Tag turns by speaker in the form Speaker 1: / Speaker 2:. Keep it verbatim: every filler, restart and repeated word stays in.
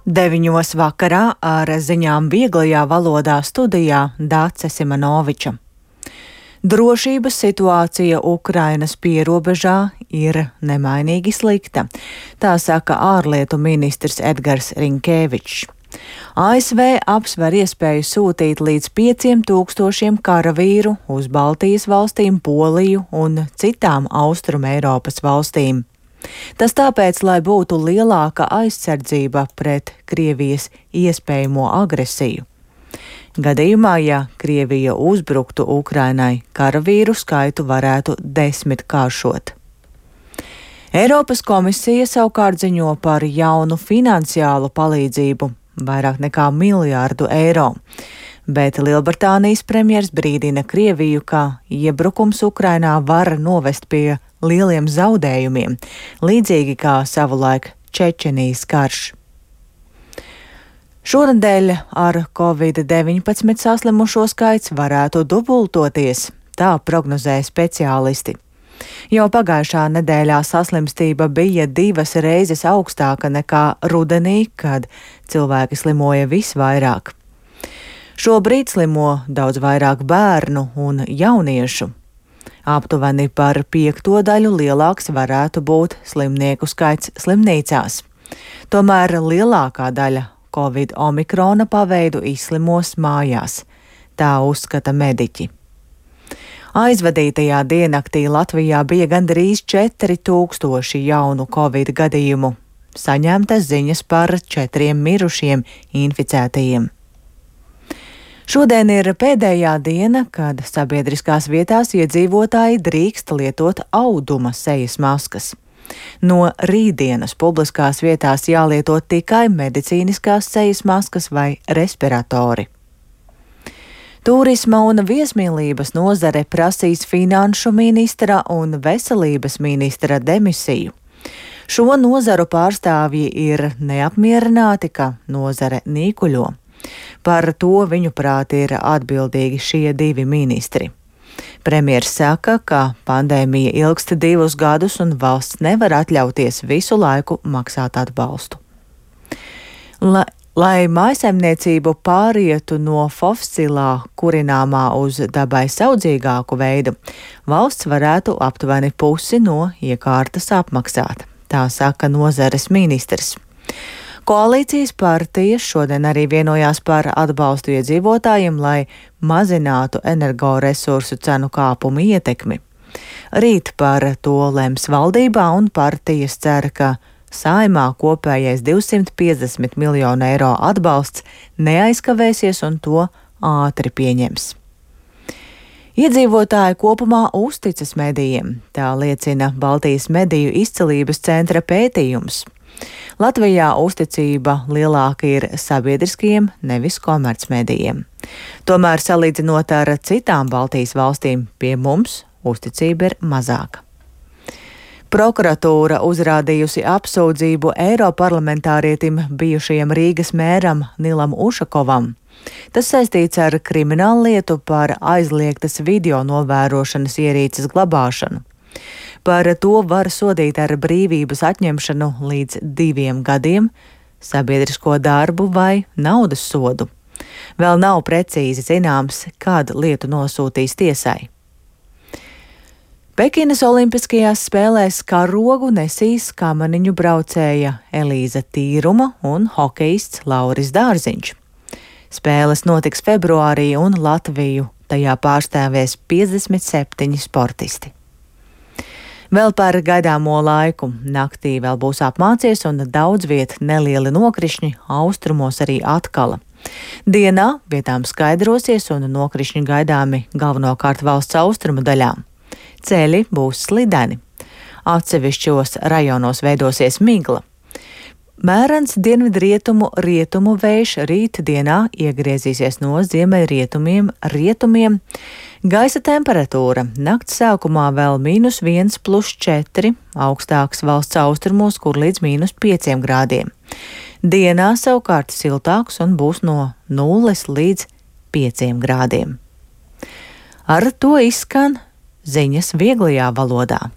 Speaker 1: Deviņos vakarā ar ziņām vieglajā valodā studijā Dāce Simanoviča. Drošības situācija Ukrainas pierobežā ir nemainīgi slikta, tā saka ārlietu ministrs Edgars Rinkēvičs. A S V apsver iespēju sūtīt līdz pieciem tūkstošiem karavīru uz Baltijas valstīm, Poliju un citām Austrum Eiropas valstīm. Tas tāpēc, lai būtu lielāka aizsardzība pret Krievijas iespējamo agresiju. Gadījumā, ja Krievija uzbruktu Ukrainai, karavīru skaitu varētu desmitkāršot. Eiropas komisija savukārt ziņo par jaunu finansiālu palīdzību, vairāk nekā miljārdu eiro. Bet Lielbritānijas premjers brīdina Krieviju, ka iebrukums Ukrainā var novest pie lieliem zaudējumiem, līdzīgi kā savulaik Čečenijas karš. Šonedēļ ar covid deviņpadsmit saslimušo skaits varētu dubultoties, tā prognozē speciālisti. Jau pagājušā nedēļā saslimstība bija divas reizes augstāka nekā rudenī, kad cilvēki slimoja visvairāk. Šobrīd slimo daudz vairāk bērnu un jauniešu. Aptuveni par piekto daļu lielāks varētu būt slimnieku skaits slimnīcās. Tomēr lielākā daļa Covid omikrona paveidu izslimos mājās, tā uzskata mediķi. Aizvadītajā diennaktī Latvijā bija gandrīz četri tūkstoši jaunu Covid gadījumu. Saņemtas ziņas par četriem mirušiem inficētajiem. Šodien ir pēdējā diena, kad sabiedriskās vietās iedzīvotāji drīkst lietot auduma sejas maskas. No rītdienas publiskās vietās jālieto tikai medicīniskās sejas maskas vai respiratori. Tūrisma un viesmīlības nozare prasīs finanšu ministra un veselības ministra demisiju. Šo nozaru pārstāvji ir neapmierināti, ka nozare nīkuļo. Par to viņuprāt ir atbildīgi šie divi ministri. Premjers saka, ka pandēmija ilgst divus gadus un valsts nevar atļauties visu laiku maksāt atbalstu. La, lai mājsaimniecību pārietu no fosilā kurināmā uz dabai saudzīgāku veidu, valsts varētu aptuveni pusi no iekārtas apmaksāt, tā saka nozares ministrs. Koalīcijas partijas šodien arī vienojās par atbalstu iedzīvotājiem, lai mazinātu energoresursu cenu kāpumu ietekmi. Rīt par to lems valdībā un partijas cer, ka Saeimā kopējais divsimt piecdesmit miljonu eiro atbalsts neaizkavēsies un to ātri pieņems. Iedzīvotāji kopumā uzticas medijiem, tā liecina Baltijas mediju izcelības centra pētījums. Latvijā uzticība lielāka ir sabiedriskajiem, nevis komercmedijiem. Tomēr, salīdzinot ar citām Baltijas valstīm, pie mums uzticība ir mazāka. Prokuratūra uzrādījusi apsūdzību eiroparlamentārietim bijušajam Rīgas mēram Nilam Ušakovam. Tas saistīts ar krimināllietu par aizliegtas video novērošanas ierīces glabāšanu. Par to var sodīt ar brīvības atņemšanu līdz diviem gadiem, sabiedrisko darbu vai naudas sodu. Vēl nav precīzi zināms, kad lietu nosūtīs tiesai. Pekinas Olimpiskajās spēlēs karogu nesīs kamaniņu braucēja Elīza Tīruma un hokejists Lauris Dārziņš. Spēles notiks februārī un Latviju tajā pārstāvēs piecdesmit septiņi sportisti. Vēl par gaidāmo laiku. Naktī vēl būs apmācies un daudz viet nelieli nokrišņi, austrumos arī atkala. Dienā vietām skaidrosies un nokrišņi gaidāmi galvenokārt valsts austrumu daļā. Ceļi būs slideni. Atsevišķos rajonos veidosies migla. Mērens dienvidrietumu rietumu vējš rīt dienā iegriezīsies no ziemeļrietumiem rietumiem. Gaisa temperatūra nakts sākumā vēl mīnus viens plus četri, augstāks valsts austrumos, kur līdz mīnus pieciem grādiem. Dienā savukārt siltāks un būs no nulles līdz pieciem grādiem. Ar to izskan ziņas vieglajā valodā.